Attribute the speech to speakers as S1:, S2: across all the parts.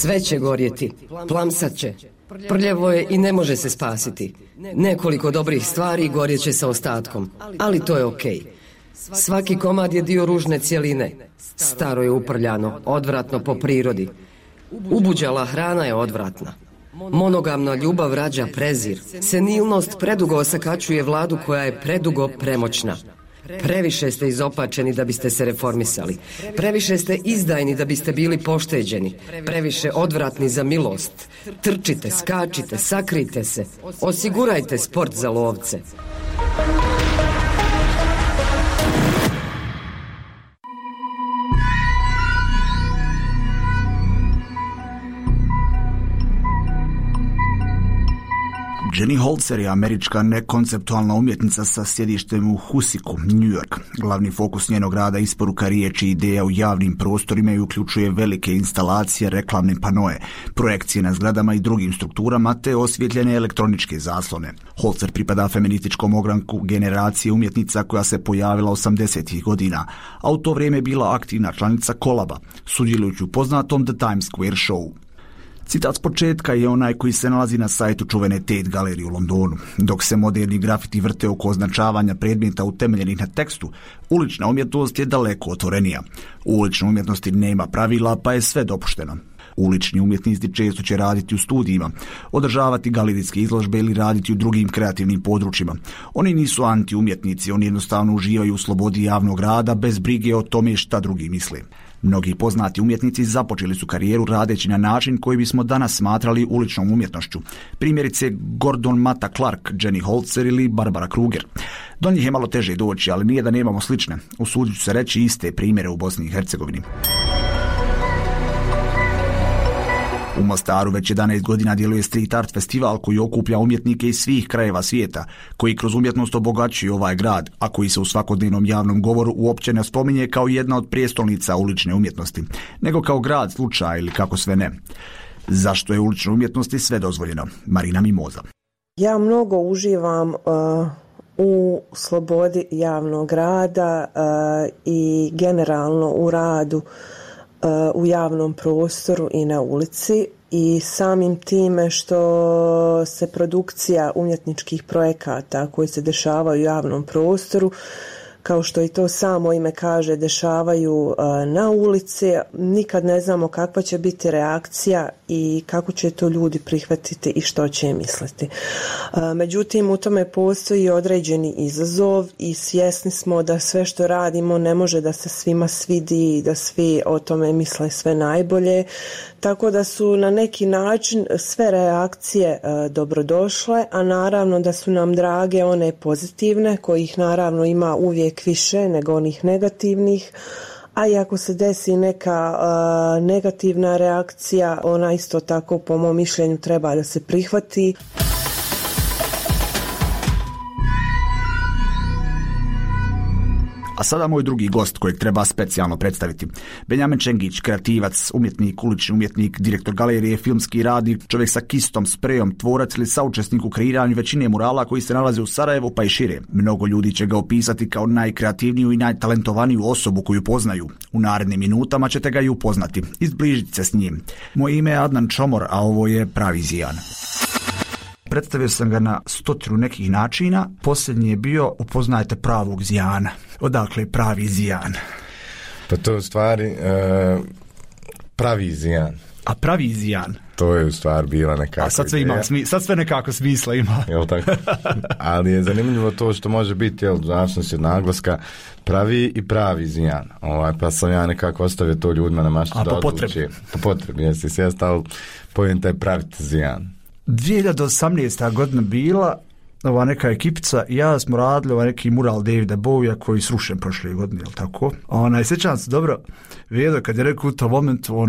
S1: Sve će gorjeti, plamsat će. Prljavo je i ne može se spasiti. Nekoliko dobrih stvari gorjet će sa ostatkom, ali to je okej. Svaki komad je dio ružne cjeline. Staro je uprljano, odvratno po prirodi. Ubuđala hrana je odvratna. Monogamna ljubav rađa prezir. Senilnost predugo osakačuje vladu koja je predugo premoćna. Previše ste izopačeni da biste se reformisali. Previše ste izdajni da biste bili pošteđeni. Previše odvratni za milost. Trčite, skačite, sakrijte se. Osigurajte sport za lovce.
S2: Jenny Holzer je američka nekonceptualna umjetnica sa sjedištem u Husiku, New York. Glavni fokus njenog rada je isporuka riječi i ideja u javnim prostorima i uključuje velike instalacije, reklamne panoe, projekcije na zgradama i drugim strukturama te osvjetljene elektroničke zaslone. Holzer pripada feminističkom ogranku generacije umjetnica koja se pojavila 80-ih godina, a u to vrijeme je bila aktivna članica Kolaba, sudjelujući u poznatom The Times Square Show. Citat s početka je onaj koji se nalazi na sajtu čuvene Tate galerije u Londonu. Dok se moderni grafiti vrte oko označavanja predmeta utemeljenih na tekstu, ulična umjetnost je daleko otvorenija. U uličnoj umjetnosti nema pravila, pa je sve dopušteno. Ulični umjetnici često će raditi u studijima, održavati galerijske izložbe ili raditi u drugim kreativnim područjima. Oni nisu anti-umjetnici, oni jednostavno uživaju u slobodi javnog rada bez brige o tome šta drugi misle. Mnogi poznati umjetnici započeli su karijeru radeći na način koji bismo danas smatrali uličnom umjetnošću. Primjerice Gordon Matta Clark, Jenny Holzer ili Barbara Kruger. Do njih je malo teže doći, ali nije da nemamo slične. Usudit ću se reći iste primjere u Bosni i Hercegovini. U Mostaru već 11 godina djeluje Street Art festival koji okuplja umjetnike iz svih krajeva svijeta, koji kroz umjetnost obogaćuju ovaj grad, a koji se u svakodnevnom javnom govoru uopće ne spominje kao jedna od prijestolnica ulične umjetnosti, nego kao grad slučaja ili kako sve ne. Zašto je uličnoj umjetnosti sve dozvoljeno? Marina Mimoza.
S3: Ja mnogo uživam u slobodi javnog rada i generalno u radu u javnom prostoru i na ulici i samim time što se produkcija umjetničkih projekata koji se dešavaju u javnom prostoru, kao što i to samo ime kaže, dešavaju na ulici, nikad ne znamo kakva će biti reakcija i kako će to ljudi prihvatiti i što će misliti. Međutim, u tome postoji određeni izazov i svjesni smo da sve što radimo ne može da se svima svidi i da svi o tome misle sve najbolje, tako da su na neki način sve reakcije dobrodošle, a naravno da su nam drage one pozitivne, kojih naravno ima uvijek više nego onih negativnih, a i ako se desi neka negativna reakcija, ona isto tako po mom mišljenju treba da se prihvati.
S2: A sada moj drugi gost kojeg treba specijalno predstaviti. Benjamin Čengić, kreativac, umjetnik, ulični umjetnik, direktor galerije, filmski radnik, čovjek sa kistom, sprejom, tvorac ili saučesnik u kreiranju većine murala koji se nalaze u Sarajevu pa i šire. Mnogo ljudi će ga opisati kao najkreativniju i najtalentovaniju osobu koju poznaju. U narednim minutama ćete ga i upoznati, izbližiti se s njim. Moje ime je Adnan Čomor, a ovo je Pravi Zijan. Predstavio sam ga na 100 nekih načina. Posljednji je bio upoznajte pravog Zijana. Odakle je Pravi Zijan?
S4: Pa to je u stvari Pravi Zijan.
S2: A Pravi Zijan?
S4: To je u stvari bila nekako.
S2: A sad sve ima, sad sve nekako smisla ima.
S4: Jel tako? Ali je zanimljivo to što može biti, jel, zavisnosti od naglaska, pravi i pravi Zijan. Pa sam ja nekako ostavio to ljudima na maštu da odluči. Po potrebi, jesi sjest, ali pojenta je praviti Zijan.
S2: 2018. godina bila, ova neka ekipica i ja smo radili neki mural Davida Bowija koji je srušen prošle godine, jel tako? Sjećam se dobro, Vedo kad je rekao u tom momentu,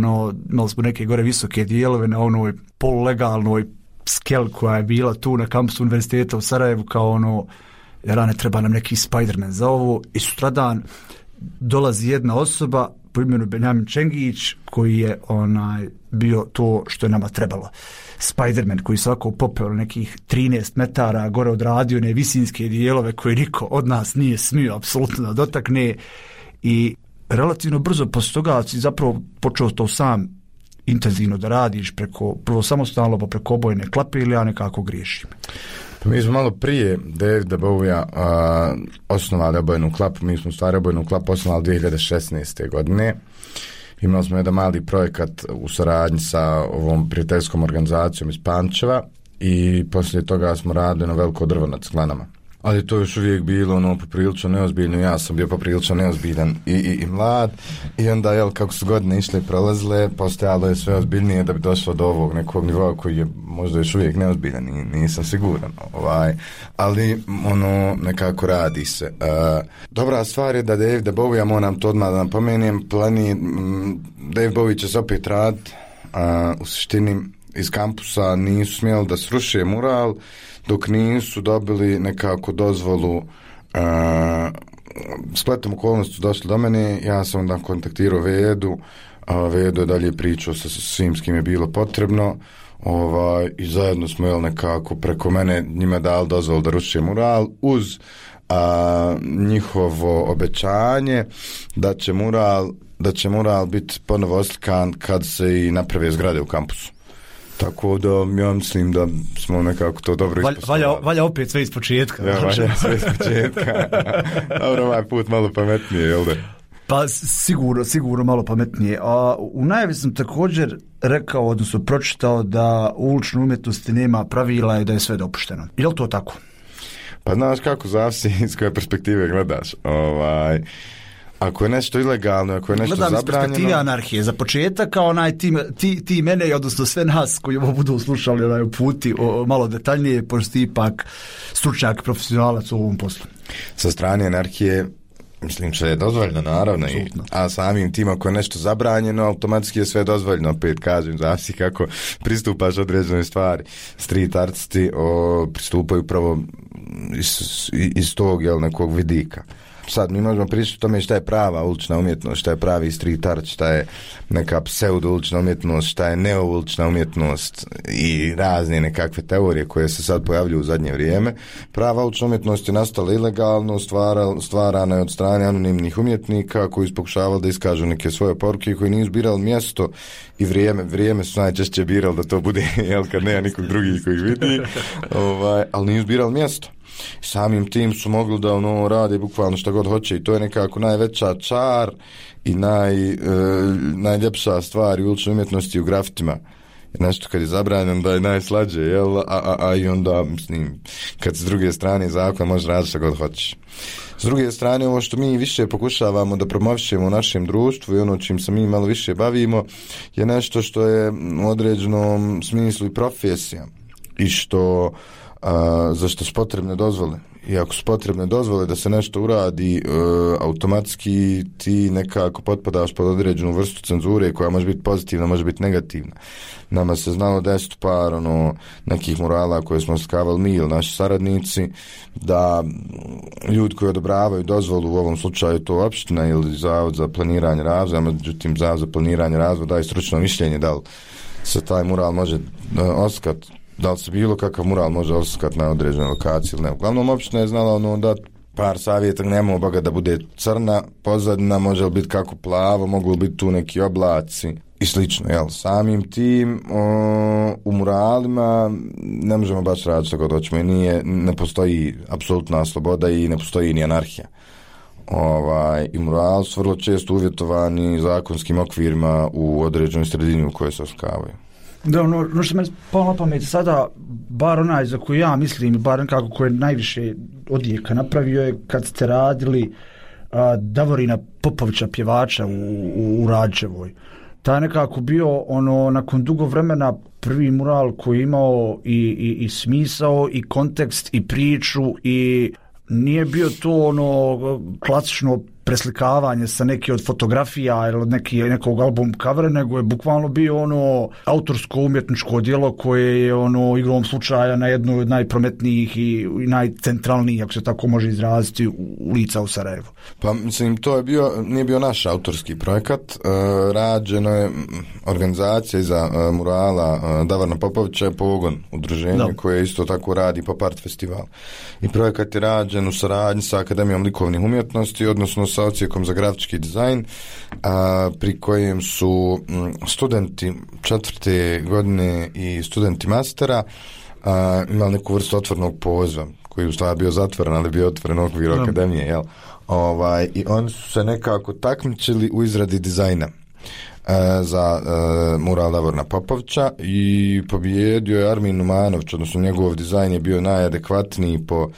S2: imali smo neke gore visoke dijelove na onoj polulegalnoj skel koja je bila tu na kampusu univerziteta u Sarajevu, kao ne treba nam neki Spider-Man za ovo, i sutradan dolazi jedna osoba po imenu Benjamin Čengić koji je bio to što je nama trebalo. Spider-Man koji svako popeo nekih 13 metara gore odradio one visinske dijelove koje niko od nas nije smio apsolutno da dotakne, i relativno brzo posle toga si zapravo počeo to sam
S5: intenzivno da radiš prvo samostalno pa preko obojne klape ili ja nekako griješim?
S4: Pa mi smo malo prije Davida Bowija osnovali obojnu klapu. Mi smo stvari obojnu klapu osnovali 2016. godine. Imali smo jedan mali projekat u saradnji sa ovom prijateljskom organizacijom iz Pančeva i poslije toga smo radili na veliko drvo nad Sklanama. Ali to je još uvijek bilo poprilično neozbiljno, ja sam bio poprilično neozbiljan i mlad i onda kako su godine išle i prolazile, postojalo je sve ozbiljnije da bi došlo do ovog nekog nivoa koji je možda još uvijek neozbiljan, nisam siguran, ali nekako radi se. Dobra stvar je da Davida Bowija, moram to odmah da napomenem, David Bowie će se opet raditi, u suštini iz kampusa nisu smjeli da sruše mural, dok nisu dobili nekako dozvolu. Spletom okolnosti došli do mene, ja sam onda kontaktirao Vedu, Vedu je dalje pričao sa svim s kim je bilo potrebno, i zajedno smo nekako preko mene njima dali dozvolu da ruše mural uz njihovo obećanje da će mural biti ponovo oslikan kad se i naprave zgrade u kampusu. Tako da ja mislim da smo nekako to dobro ispostavili.
S5: Valja opet sve iz početka.
S4: Ja, valja sve iz početka. Dobro, ovaj put malo pametnije, jel da?
S5: Pa sigurno malo pametnije. U najavi sam također rekao, odnosno pročitao da u uličnoj umjetnosti nema pravila i da je sve dopušteno. Je li to tako?
S4: Pa znaš kako, zavisi iz koje perspektive gledaš. Ako je nešto ilegalno, ako je nešto zabranjeno... Gledam iz perspektive
S5: anarhije. Za početak, kao ti mene, odnosno sve nas koji ovo budu slušali puti malo detaljnije, pošto ti ipak stručnjak, profesionalac u ovom poslu.
S4: Sa strane anarhije, mislim, sve je dozvoljeno, naravno, a samim tim ako je nešto zabranjeno, automatski je sve dozvoljeno, opet kažem, zavisi kako pristupaš određenoj stvari. Street artisti pristupaju pravo iz tog nekog vidika. Sad mi možemo pričati o tome šta je prava ulična umjetnost, šta je pravi street art, šta je neka pseudo-ulična umjetnost, šta je neo-ulična umjetnost i razne nekakve teorije koje se sad pojavljuju u zadnje vrijeme. Prava ulična umjetnost je nastala ilegalno, stvarana je od strane anonimnih umjetnika koji su pokušavali da iskažu neke svoje poruke koji nisu birali mjesto i vrijeme su najčešće birali da to bude, kad nema nikog drugih koji ih vidi, ali nisu birali mjesto. Samim tim su mogli da rade bukvalno šta god hoće i to je nekako najveća čar i najljepša stvar u uličnoj umjetnosti u grafitima. Nešto kad je zabranjeno da je najslađe, i onda, mislim, kad s druge strane zakon može raditi šta god hoćeš. S druge strane, ovo što mi više pokušavamo da promovišemo u našem društvu i čim se mi malo više bavimo je nešto što je u određenom smislu i profesija i za što su potrebne dozvole. I ako su potrebne dozvole da se nešto uradi, automatski ti nekako potpadaš pod određenu vrstu cenzure koja može biti pozitivna, može biti negativna. Nama se znalo desiti par nekih murala koje smo slikavali mi ili naši saradnici, da ljudi koji odobravaju dozvolu, u ovom slučaju to opština ili Zavod za planiranje razvoja, međutim Zavod za planiranje razvoja daje stručno mišljenje da li se taj mural može oslikati, da li se bilo kakav mural može oslikati na određenoj lokaciji ili ne. Uglavnom, opština je znala da par savjeta, nema obaga da bude crna pozadina, može li biti kako plavo, mogu li biti tu neki oblaci i slično. Jel? Samim tim u muralima ne možemo baš raditi što god hoćemo i ne postoji apsolutna sloboda i ne postoji ni anarhija. I murali su vrlo često uvjetovani zakonskim okvirima u određenoj sredini u kojoj se oslikavaju.
S5: Da, ono što me palo na pamet sada, bar onaj za koji ja mislim, bar nekako koji je najviše odjeka napravio je kad ste radili Davorina Popovića, pjevača u Rađevoj. Ta je nekako bio nakon dugo vremena prvi mural koji je imao i smisao i kontekst i priču i nije bio to klasično preslikavanje sa neke od fotografija ili od nekog album covera, nego je bukvalno bio autorsko umjetničko djelo koje je igrom slučaja na jednoj od najprometnijih i najcentralnijih, ako se tako može izraziti, ulica u Sarajevu.
S4: Pa mislim, nije bio naš autorski projekat, rađeno je organizacija iza murala Davorina Popovića je Pogon, udruženje koje isto tako radi Pop Art festival. I projekat je rađen u saradnji sa Akademijom likovnih umjetnosti, odnosno sa odsjekom za grafički dizajn, pri kojem su studenti 4. godine i studenti mastera imali neku vrstu otvorenog poziva, koji u stvari bio zatvoren, ali bio otvoren u okviru akademije, jel? I oni su se nekako takmičili u izradi dizajna za mural Davorina Popovića i pobijedio je Armin Numanović, odnosno njegov dizajn je bio najadekvatniji po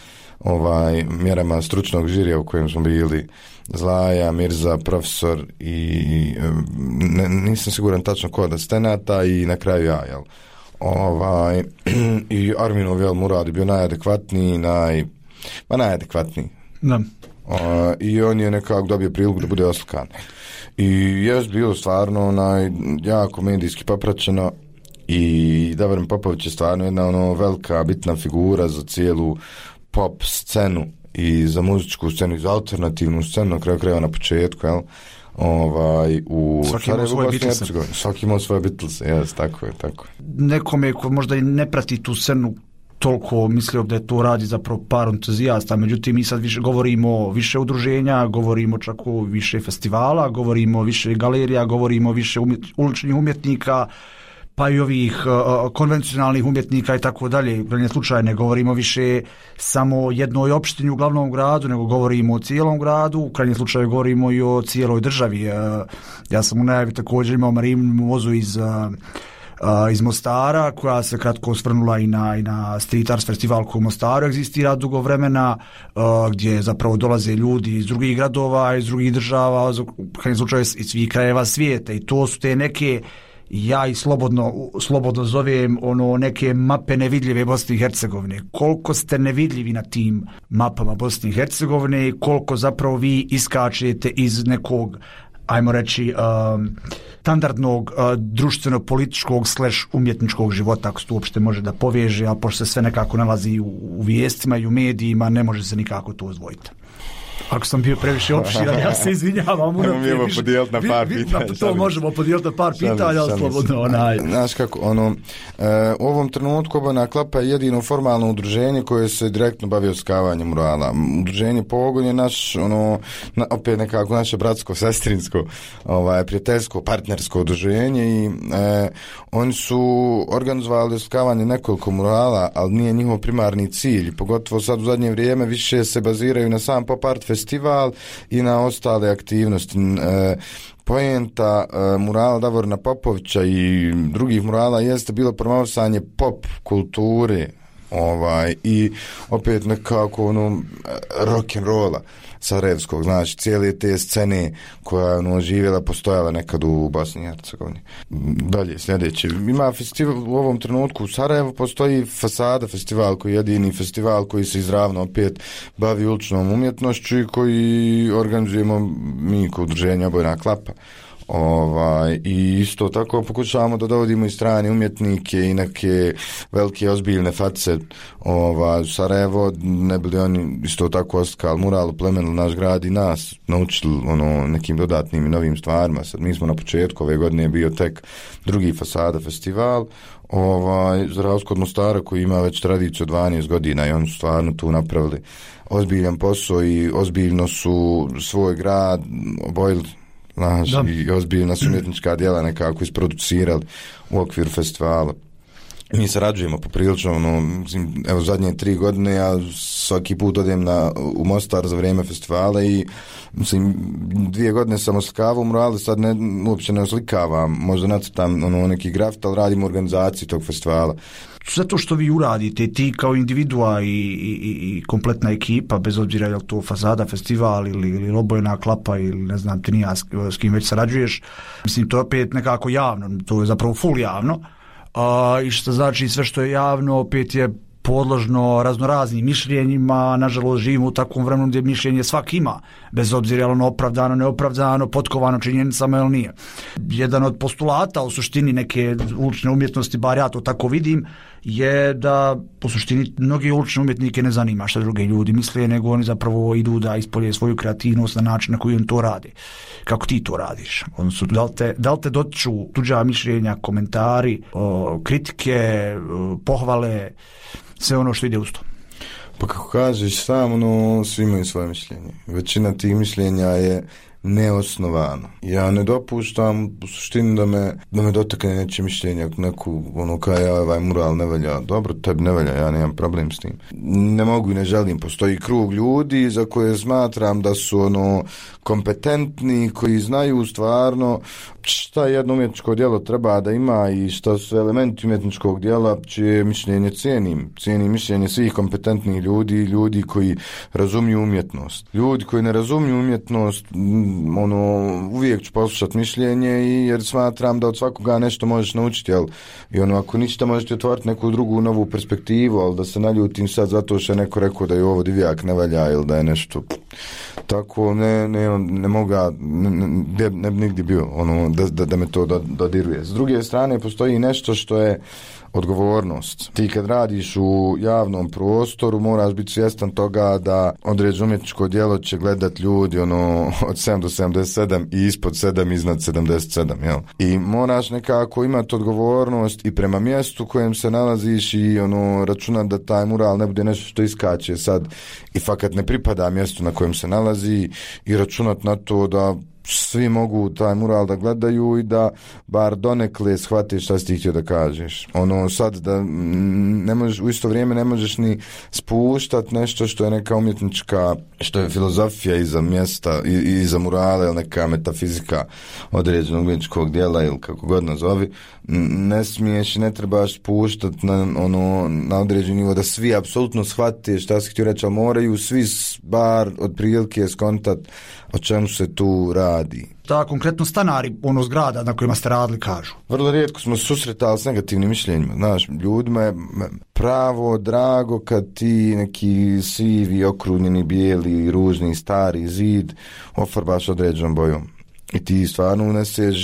S4: mjerama stručnog žirija u kojem smo bili Zlaja, Mirza, profesor i nisam siguran tačno ko od asistenata i na kraju ja, jel? I Arminov mural je bio najadekvatniji, najadekvatniji.
S5: Da.
S4: I on je nekako dobio priliku da bude oslikan. I je bilo stvarno jako medijski popraćeno i Davorin Popović je stvarno jedna velika bitna figura za cijelu pop scenu i za muzičku scenu i za alternativnu scenu, na kraju krajeva na početku, jel? U Sarajevu, Bosni i Hercegovini. Svaki imao svoje Beatlese, jes, tako je.
S5: Nekome ko možda i ne prati tu scenu toliko, mislio da je to radi zapravo par entuzijasta, međutim mi sad govorimo više udruženja, govorimo čak o više festivala, govorimo više galerija, govorimo više uličnih umjetnika, pa i ovih konvencionalnih umjetnika i tako dalje. U krajnjem slučaju ne govorimo više samo jednoj opštini u glavnom gradu, nego govorimo o cijelom gradu, u krajnjem slučaju govorimo i o cijeloj državi. Ja sam u najavi također imao Marinu Mozu iz Mostara, koja se kratko osvrnula i na Street Arts festival koji u Mostaru egzistira dugo vremena, gdje zapravo dolaze ljudi iz drugih gradova, iz drugih država, u krajnjem slučaju iz svih krajeva svijeta, i to su te neke, ja i slobodno zovem neke mape nevidljive Bosne i Hercegovine. Koliko ste nevidljivi na tim mapama Bosne i Hercegovine i koliko zapravo vi iskačete iz nekog, ajmo reći, standardnog društveno-političkog / umjetničkog života, ako se to uopšte može da poveže, a pošto se sve nekako nalazi u vijestima i u medijima, ne može se nikako to odvojiti. Ako sam bio previše opširan, ja se izvinjavam.
S4: Možemo podijeliti na par pitanja.
S5: To možemo podijeliti na par pitanja, ali slobodno.
S4: Znaš kako, u ovom trenutku Obojna klapa je jedino formalno udruženje koje se direktno bavi oskavanjem murala. Udruženje Pogon je naš, opet nekako naše bratsko, sestrinsko, prijateljsko, partnersko udruženje i oni su organizovali oskavanje nekoliko murala, ali nije njihov primarni cilj. Pogotovo sad u zadnje vrijeme više se baziraju na sam pop art festival i na ostale aktivnosti. Poenta murala Davorina Popovića i drugih murala jeste bilo promovisanje pop kulture i opet nekako rock'n'rolla sarajevskog, znači cijele te scene koja je živjela, postojala nekad u Bosni i Hercegovini. Dalje, sljedeće. Ima festival u ovom trenutku u Sarajevu, postoji Fasada festival koji je jedini festival koji se izravno opet bavi uličnom umjetnošću i koji organizujemo mi kao udruženje Obojna klapa. I isto tako pokušavamo da dovodimo i strane umjetnike i neke velike ozbiljne face u Sarajevo, ne bili oni isto tako oslikali mural, oplemenili naš grad i nas naučili nekim dodatnim i novim stvarima. Sad mi smo na početku ove godine bio tek drugi Fasada festival za razliku od Mostara koji ima već tradiciju 12 godina i oni su stvarno tu napravili ozbiljan posao i ozbiljno su svoj grad obojili, i ozbiljna su umjetnička djela nekako isproducirali u okviru festivala. Mi sarađujemo poprilično, evo zadnje 3 godine ja svaki put odem u Mostar za vrijeme festivala i 2 godine sam oslikavao murale, sad uopće ne oslikavam, možda nacrtam neki grafit, ali radim u organizaciji tog festivala.
S5: Zato što vi uradite, ti kao individua i kompletna ekipa, bez obzira je li to Fasada festival ili Obojna klapa ili ne znam ti nija s kim već sarađuješ, mislim to je opet nekako javno, to je zapravo full javno, i što znači sve što je javno opet je podložno raznoraznim mišljenjima. Nažalost živimo u takvom vremenu gdje mišljenje svak ima, bez obzira je ono opravdano, neopravdano, potkovano činjenicama ili nije. Jedan od postulata u suštini neke ulične umjetnosti, bar ja to tako vidim, je da u suštini mnogi ulične umjetnike ne zanima što druge ljudi misle, nego oni zapravo idu da ispolje svoju kreativnost na način na koji on to radi. Kako ti to radiš? Odnosno, da li te dotiču tuđa mišljenja, komentari, kritike, pohvale, sve ono što ide uz to?
S4: Pa kako kažeš sam, svi imaju svoje mišljenje. Većina tih mišljenja je neosnovano. Ja ne dopuštam u suštini da me dotakne neće mišljenja neku, kaj ovaj mural ne velja. Dobro, tebi ne velja, ja nemam problem s tim. Ne mogu i ne želim. Postoji krug ljudi za koje smatram da su kompetentni, koji znaju stvarno šta jedno umjetničko djelo treba da ima i šta su elementi umjetničkog djela, čije mišljenje cijenim. Cijenim mišljenje svih kompetentnih ljudi, ljudi koji razumiju umjetnost. Ljudi koji ne razumiju umjetnost, uvijek ću poslušati mišljenje jer smatram da od svakoga nešto možeš naučiti, jel? I ako ništa možete otvoriti neku drugu novu perspektivu, ali da se naljutim sad zato što je neko rekao da je ovo divjak ne valja ili da je nešto tako, ne mogu, ne bi nigdje bio da me to dodiruje. S druge strane postoji nešto što je odgovornost. Ti kad radiš u javnom prostoru moraš biti svjestan toga da određeno umjetničko djelo će gledat ljudi od 7 do 77 i ispod 7 iznad 77, jel? I moraš nekako imati odgovornost i prema mjestu kojem se nalaziš i računat da taj mural ne bude nešto što iskače sad i fakat ne pripada mjestu na kojem se nalazi i računat na to da svi mogu taj mural da gledaju i da bar donekle shvatiš šta si ti htio da kažeš. Sad da ne možeš, u isto vrijeme ne možeš ni spuštat nešto što je neka umjetnička, što je filozofija iza mjesta, iza murala ili neka metafizika određenog umjetničkog djela ili kako god nazovi. Ne smiješ i ne trebaš spuštat na određeni nivo da svi apsolutno shvate šta si htio reći, ali moraju svi bar otprilike skontat o čemu se tu radi.
S5: Da, konkretno stanari zgrada na kojima ste radili kažu.
S4: Vrlo rijetko smo susretali s negativnim mišljenjima. Znaš, ljudima je pravo drago kad ti neki sivi, okrunjeni, bijeli, ružni, stari zid ofarbaš određenom bojom. I ti stvarno uneseš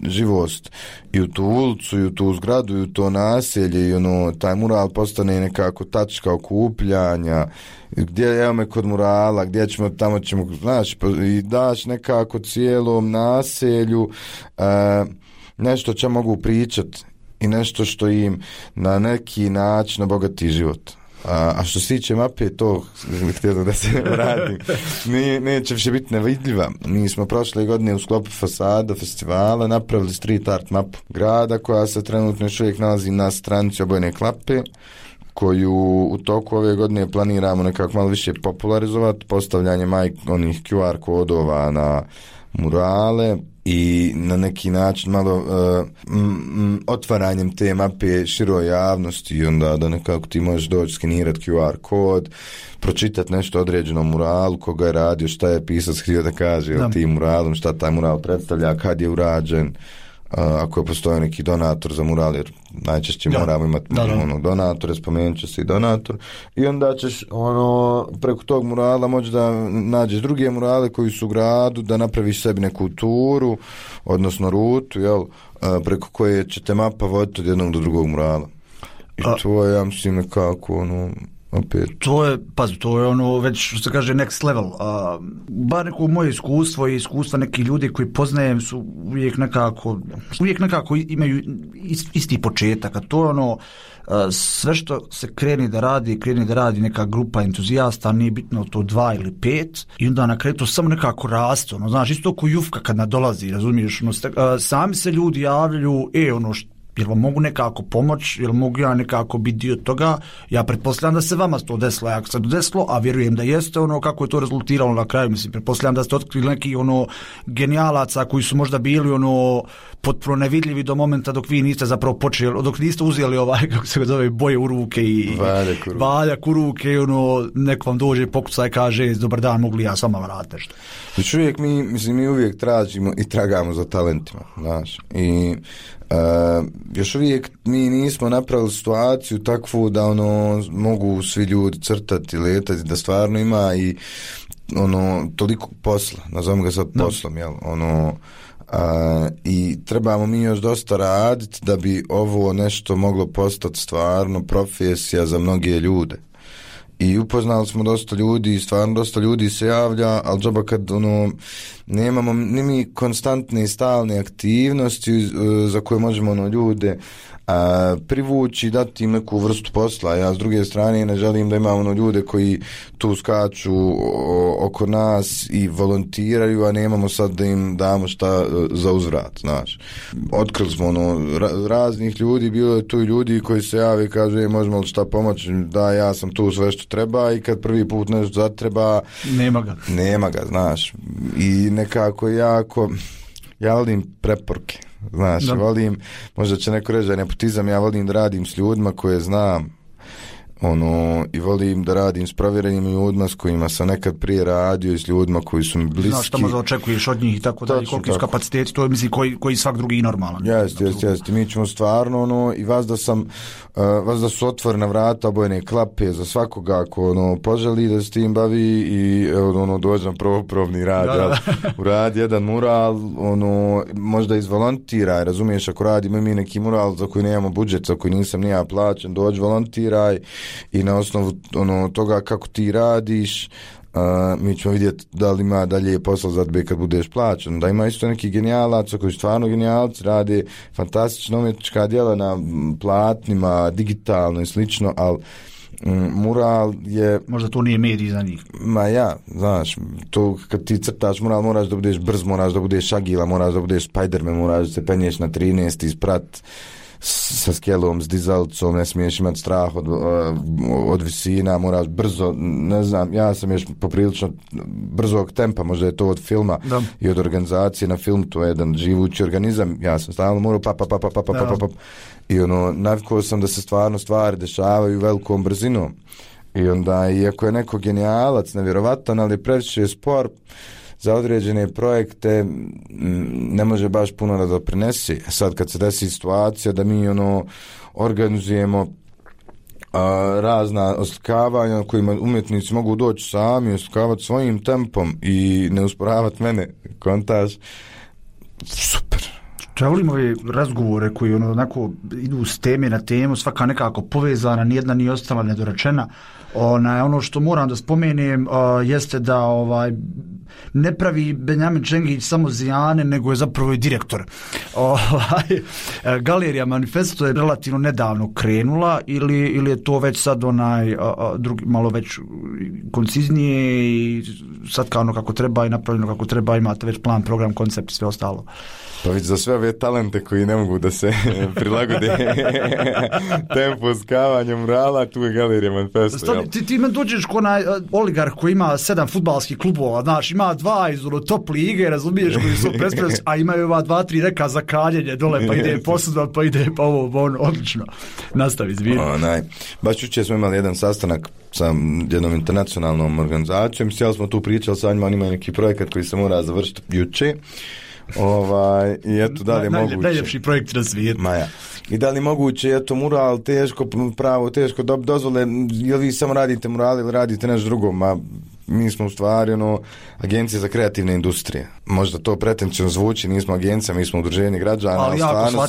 S4: živost i u tu ulicu i u tu zgradu i u to naselje i taj mural postane nekako tačka okupljanja, gdje evo me kod murala, gdje ćemo, tamo ćemo, znaš, i daš nekako cijelom naselju nešto će mogu pričat i nešto što im na neki način obogati život. A što se tiče mape, to htjelo da se vratim, neće više biti nevidljiva. Mi smo prošle godine u sklopu fasada festivala napravili street art mapu grada koja se trenutno još uvijek nalazi na stranici Obojene klape, koju u toku ove godine planiramo nekako malo više popularizovati, postavljanje onih QR kodova na murale i na neki način malo otvaranjem te mape široj javnosti i onda da nekako ti možeš doći skenirati QR kod, pročitati nešto određenom muralu, koga je radio, šta je pisac htio da kaže o tim muralom, šta taj mural predstavlja, kad je urađen, ako je postoji neki donator za mural, jer najčešće moramo imati donatore, spomenut će se i donator, i onda ćeš preko tog murala moći da nađeš druge murale koji su u gradu, da napraviš sebi neku turu, odnosno rutu, jel, preko koje će te mapa voditi od jednog do drugog murala. I to je, ja mislim, nekako opet.
S5: To je već što se kaže next level. Bar neko moje iskustvo i iskustva nekih ljudi koji poznajem su uvijek nekako imaju isti početak, a to je sve što se kreni da radi neka grupa entuzijasta, nije bitno to 2 ili 5, i onda na kraju to samo nekako raste, znaš, isto ko Jufka kad nadolazi, razumiješ, sami se ljudi javljaju, jel vam mogu nekako pomoći, jel mogu ja nekako biti dio toga, ja pretpostavljam da se vama to desilo, ako se to desilo, a vjerujem da jeste, kako je to rezultiralo na kraju, mislim, pretpostavljam da ste otkrili neki genijalaca koji su možda bili potpuno nevidljivi do momenta dok vi niste zapravo počeli, dok niste uzeli kako se ga zove, boje u ruke i valjak u ruke, neko vam dođe pokucaj, kaže, dobar dan, mogu li ja s vama raditi nešto.
S4: Znači uvijek mi uvijek tražimo i tragamo za talentima, znaš, i još uvijek mi nismo napravili situaciju takvu da mogu svi ljudi crtati, letati, da stvarno ima i toliko posla, nazovemo ga sad poslom, jel, i trebamo mi još dosta raditi da bi ovo nešto moglo postati stvarno profesija za mnoge ljude. i upoznali smo dosta ljudi, stvarno dosta ljudi se javlja, ali džaba kad nemamo ni mi konstantne i stalne aktivnosti za koje možemo ljude privući, dati im neku vrstu posla. Ja s druge strane ne želim da imamo ljude koji tu skaču oko nas i volontiraju, a nemamo sad da im damo šta za uzvrat, znaš. Otkrili smo raznih ljudi, bilo je tu i ljudi koji se jave i kaže možemo li šta pomoći, da ja sam tu sve što treba i kad prvi put nešto zatreba nema ga, znaš. I nekako ja volim preporuke. Znaš, volim, možda će neko reći da je nepotizam, ja volim da radim s ljudima koje znam, i volim da radim s provjerenim ljudima s kojima sam nekad prije radio i s ljudima koji su mi bliski.
S5: Znaš šta možda očekuješ od njih i tako da, koliki su kapaciteti, to je mislim koji svak drugi normalan.
S4: Jeste, mi ćemo stvarno, i vas da su otvorena vrata, obojene klape za svakoga ako poželi da se tim bavi i dođem probni rad, uradi jedan mural, možda izvolontiraj, razumiješ, ako radimo mi neki mural za koji nemamo budžet, za koji nisam nija plaćen, dođi volontiraj i na osnovu toga kako ti radiš, mi ćemo vidjeti da li ima dalje posla za tebe kad budeš plaćen. Da ima isto neki genijalaca koji stvarno genijalci, rade fantastična umjetnička djela na platnima, digitalno i slično, ali mural je...
S5: Možda to nije medij za njih.
S4: Znaš, to kad ti crtaš mural moraš da budeš brz, moraš da budeš agila, moraš da budeš Spider-Man, moraš da se penješ na 13 isprat sa skelom, s dizalicom, ne smiješ imati strah od visina, moraš brzo, ne znam, ja sam još poprilično brzog tempa, možda je to od filma i od organizacije na film, to je jedan živući organizam, ja sam stalno morao i navikao sam da se stvarno stvari dešavaju velikom brzinom i onda, iako je neko genijalac, nevjerovatan, ali je previše spor za određene projekte, ne može baš puno da doprinesi. Sad kad se desi situacija da mi organizujemo razna oslikavanja na kojima umjetnici mogu doći sami i oslikavati svojim tempom i ne usporavati mene, kontaž, super.
S5: Ja volim ove razgovore koji onako idu s teme na temu, svaka nekako povezana, nijedna nije ostala nedorečena. Ono što moram da spomenem jeste da ne pravi Benjamin Čengić samo zijane, nego je zapravo i direktor. Galerija Manifesto je relativno nedavno krenula ili je to već sad drugi, malo već konciznije i sad kao kako treba i napravljeno kako treba, imate već plan, program, koncept i sve ostalo.
S4: Pa već za sve ove talente koji ne mogu da se prilagode tempo skavanja murala, tu je Galerija Manifesto.
S5: Ti me dođeš ko oligarh koji ima 7 fudbalskih klubova, znaš, ima 2 iz top lige, razumiješ, koji su predstavljeni, a imaju 2-3 reka za kaljenje dole, pa ide posuda, pa ide pa ovo, odlično. Nastavi, zvijek.
S4: Baš jučer smo imali jedan sastanak sa jednom internacionalnom organizacijom, sjeli smo tu pričali sa njima, oni imaju neki projekat koji se mora završiti jučer. I eto, da li je moguće
S5: najljepši projekt na svijetu.
S4: I da li je moguće, eto, mural teško dozvole, jel vi samo radite mural ili radite nešto drugo? Mi smo u stvari agencija za kreativne industrije. Možda to pretencijno zvuči, nismo agencija, mi smo udruženje građana.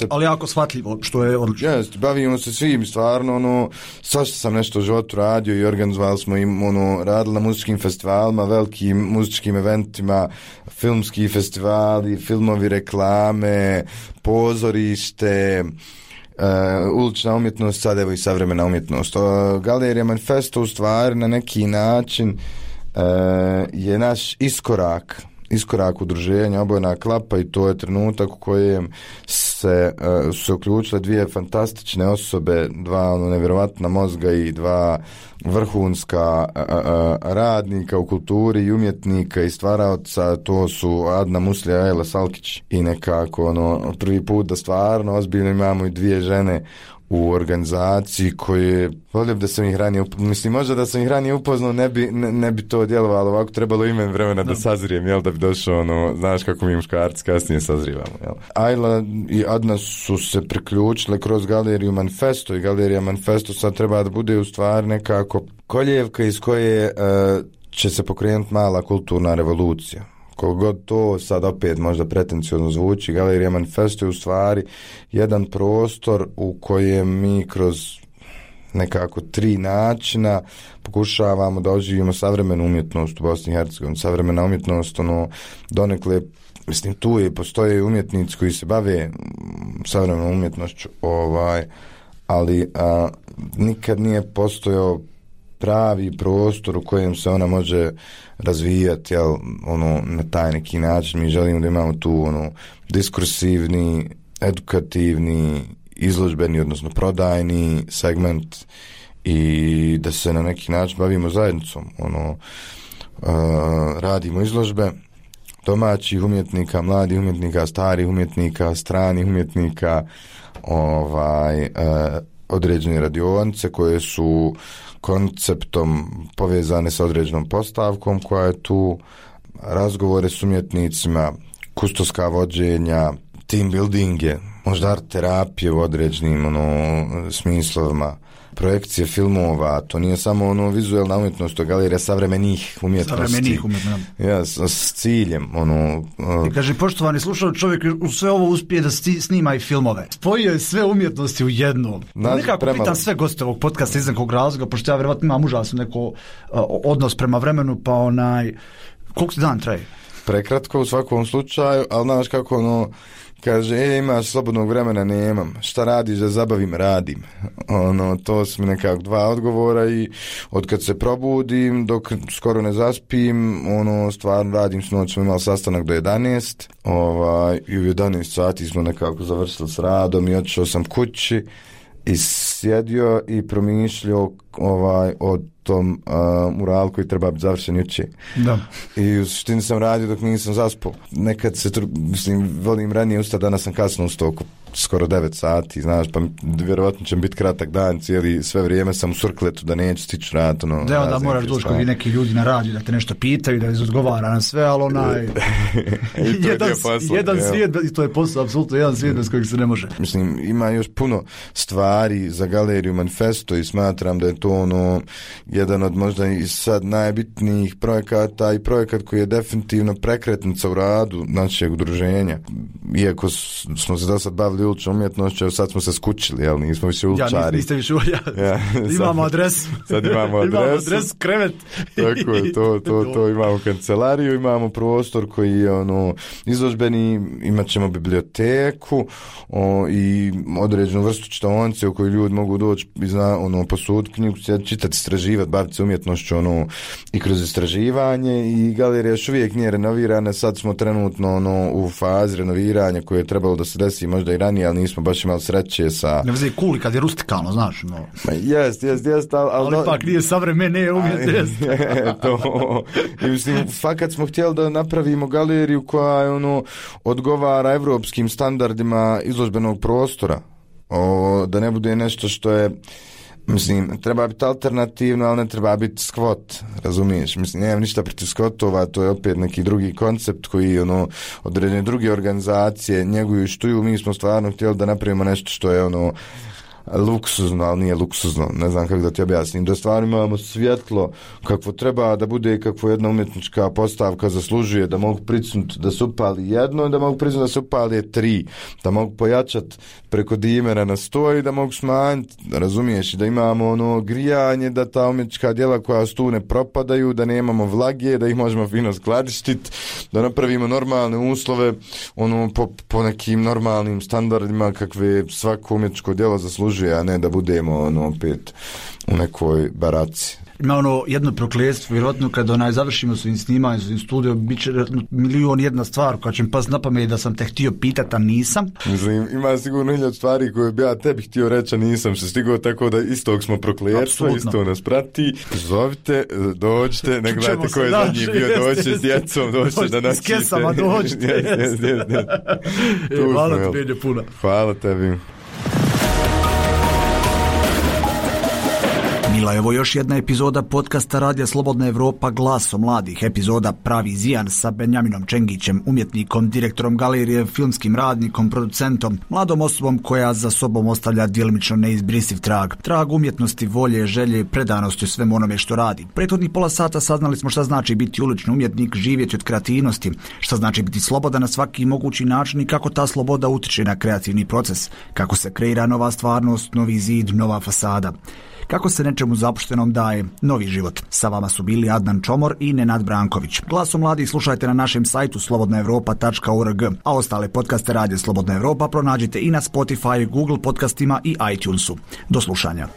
S5: Ali jako shvatljivo, što je odlično.
S4: Jest, bavimo se svim, stvarno, svašta sam nešto u životu radio i organizovali smo im, radili na muzičkim festivalima, velikim muzičkim eventima, filmski festivali, filmovi, reklame, pozorište, ulična umjetnost, sad evo i savremena umjetnost. Galerija Manifesto u stvari na neki način je naš iskorak udruženja Obojena klapa i to je trenutak u kojem se uključile 2 fantastične osobe, 2 nevjerovatna mozga i 2 vrhunska radnika u kulturi i umjetnika i stvaraoca, to su Adna Muslija i Ajla Salkić i nekako prvi put da stvarno ozbiljno imamo i 2 žene u organizaciji koje volio da sam ih ranije možda da sam ih ranije upoznao ne bi to djelovalo ovako, trebalo ime vremena da sazrijem, da bi došao znaš kako mi muškarci kasnije sazrivamo, Ajla i Adna su se priključile kroz Galeriju Manifesto i Galerija Manifesto sad treba da bude u stvari nekako koljevka iz koje će se pokrenuti mala kulturna revolucija. Koliko god to sad opet možda pretenciozno zvuči, Galerija Manifesto je u stvari jedan prostor u kojem mi kroz nekako 3 načina pokušavamo da oživimo savremenu umjetnost u Bosni i Hercegovini. Savremena umjetnost, donekle, mislim, tu postoje umjetnici koji se bave savremenom umjetnošću, ali nikad nije postojao pravi prostor u kojem se ona može razvijati, na taj neki način. Mi želimo da imamo tu diskursivni, edukativni, izložbeni, odnosno prodajni segment i da se na neki način bavimo zajednicom. Radimo izložbe domaćih umjetnika, mladih umjetnika, starih umjetnika, stranih umjetnika, određene radionice koje su konceptom povezane sa određenom postavkom koja je tu, razgovore s umjetnicima, kustoska vođenja, team buildinge, možda art terapije u određenim smislovima, projekcije filmova, to nije samo vizualna umjetnost, to je galerija savremenih umjetnosti. Ja, s ciljem.
S5: I kaže, poštovani slušao, čovjek u sve ovo uspije da snima i filmove. Spojio je sve umjetnosti u jednom. Nekako pitam sve goste ovog podcasta iz nekog razloga, pošto ja vjerovatno imam užasno neko odnos prema vremenu, pa koliko ti dan traje?
S4: Prekratko u svakom slučaju, ali znaš kako kaže, imaš slobodnog vremena, nemam. Šta radiš da zabavim? Radim. To su mi nekako 2 odgovora i od kad se probudim dok skoro ne zaspim, stvarno radim. Sinoć smo imali sastanak do 11 i u 11 sati smo nekako završili s radom i otišao sam kući i sjedio i promišljao o tom muralu koji treba biti završen juče.
S5: Da.
S4: I u suštini sam radio dok nisam zaspao. Nekad se, volim ranije ustati, danas sam kasno ustao oko skoro 9 sati, znaš, pa vjerovatno će biti kratak dan, sve vrijeme sam u surkletu da neću stići rad.
S5: Da, onda moraš doći kod neki ljudi na radiju da te nešto pitaju, da izodgovara na sve, ali jedan svijet, i to je posao, apsolutno jedan svijet bez kojeg se ne može.
S4: Mislim, ima još puno stvari za galeriju Manifesto i smatram da je to jedan od možda i sad najbitnijih projekata i projekat koji je definitivno prekretnica u radu našeg udruženja. Iako smo se do sad bavili uličnom umjetnošću, sad smo se skučili, jel? Nismo više uličari.
S5: Ja, niste više imamo adresu.
S4: Sad imamo adresu.
S5: Adres, krevet.
S4: Tako je, to imamo kancelariju, imamo prostor koji je izložbeni, imat ćemo biblioteku i određenu vrstu čitaonice u kojoj ljudi mogu doći i posuditi knjigu, čitati, istraživati, baviti se umjetnošću i kroz istraživanje, i galerija još uvijek nije renovirana. Sad smo trenutno u fazi renoviranja koje je trebalo da se desi možda i ranije, ali nismo baš imali sreće sa...
S5: Ne veze kuli kad je rustikalno, znaš.
S4: Jest,
S5: ali ipak nije savremene umjetnost.
S4: I mislim, fakat smo htjeli da napravimo galeriju koja odgovara evropskim standardima izložbenog prostora. Da ne bude nešto što je, mislim, treba biti alternativno, ali ne treba biti skvot, razumiješ? Mislim, nemam ništa protiv skvotova, to je opet neki drugi koncept koji određene druge organizacije njeguju i štuju. Mi smo stvarno htjeli da napravimo nešto što je luksuzno, ali nije luksuzno, ne znam kako da ti objasnim, da stvarno imamo svjetlo kakvo treba da bude, kakvo jedna umjetnička postavka zaslužuje, da mogu pricnuti da se upali jedno, da mogu pricnuti da se upali 3, da mogu pojačati preko dimera na 100 i da mogu smanjiti, razumiješ, da imamo grijanje, da ta umjetnička djela koja su tu ne propadaju, da nemamo vlage, da ih možemo fino skladištiti, da napravimo normalne uslove po nekim normalnim standardima kakve svako umjetničko djelo zaslužuje, a ne da budemo opet u nekoj baraci.
S5: Ima jedno prokletstvo, vjerojatno kada završimo svojim snimanjem, svojim studijom, bit će 1.000.001 stvar koja će mi past na pamet da sam te htio pitati, a nisam.
S4: Mislim, ima sigurno 1000 stvari koje bi ja tebi htio reći, a nisam se stigao, tako da istog smo prokletstvo, isto nas prati. Zovite, dođite, ne gledajte ko je zadnji bio, dođite s djecom, dođite da nas čite.
S5: S kesama dođite. Hvala tebi puno.
S4: Hvala tebi.
S5: Bila je ovo još jedna epizoda podcasta Radija Slobodna Evropa, Glaso mladih, epizoda Pravi zijan sa Benjaminom Čengićem, umjetnikom, direktorom galerije, filmskim radnikom, producentom, mladom osobom koja za sobom ostavlja djelimično neizbrisiv trag umjetnosti, volje, želje, predanosti u svemu onome što radi. Prethodnih pola sata saznali smo šta znači biti ulični umjetnik, živjeti od kreativnosti, šta znači biti slobodan na svaki mogući način i kako ta sloboda utiče na kreativni proces, kako se kreira nova stvarnost, novi zid, nova fasada.
S2: kako se nečemu zapuštenom daje novi život. Sa vama su bili Adnan Čomor i Nenad Branković. Glasom mladih slušajte na našem sajtu slobodnaevropa.org, a ostale podcaste Radija Slobodna Evropa pronađite i na Spotify, Google podcastima i iTunesu. Do slušanja.